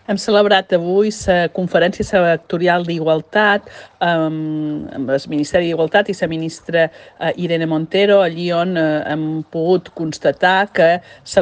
Hem celebrat avui la conferència sectorial d'Igualtat amb el Ministeri d'Igualtat i la ministra Irene Montero, allí on hem pogut constatar que se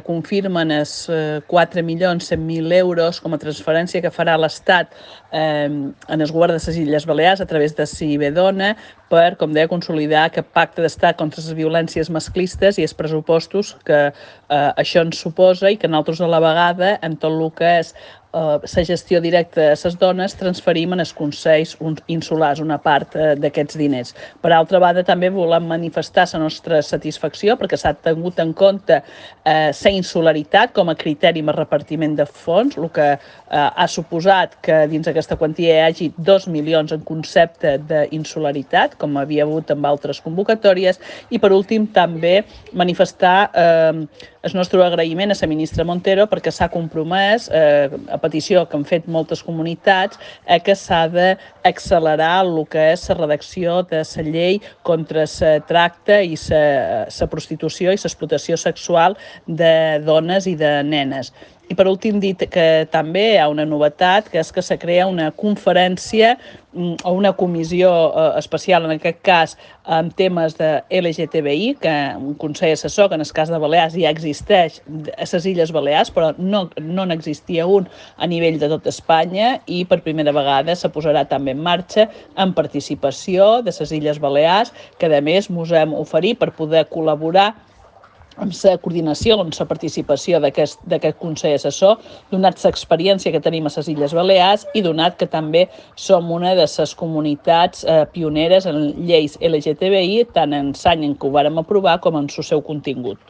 confirmen els 4.100.000 euros com a transferència que farà l'Estat en el govern de les Illes Balears a través de Cibedona per, com deia, consolidar aquest pacte d'estat contra les violències masclistes i els pressupostos que això ens suposa i que nosaltres a la vegada, en tot el que és la gestió directa a les dones, transferim en els consells insulars una part d'aquests diners. Per altra banda, també volem manifestar la nostra satisfacció perquè s'ha tingut en compte la insularitat com a criteri de repartiment de fons, el que ha suposat que dins aquesta quantia hi hagi 2 milions en concepte d'insularitat, com havia hagut amb altres convocatòries, i per últim també manifestar el nostre agraïment a la ministra Montero perquè s'ha compromès, a petició que han fet moltes comunitats, que s'ha d'accelerar el que és la redacció de la llei contra el tracte i la prostitució i l'explotació sexual de dones i de nenes. I per últim dir que també hi ha una novetat, que és que se crea una conferència o una comissió especial, en aquest cas, en temes de LGTBI, que un consell assessor, que en el cas de Balears ja existeix a les Illes Balears, però no n'existia un a nivell de tot Espanya, i per primera vegada se posarà també en marxa en participació de les Illes Balears, que a més ens hem oferit per poder col·laborar amb la coordinació, amb la participació d'aquest Consell Assessor, donat l'experiència que tenim a les Illes Balears i donat que també som una de les comunitats pioneres en lleis LGTBI, tant en l'any en què ho vàrem aprovar com en el seu contingut.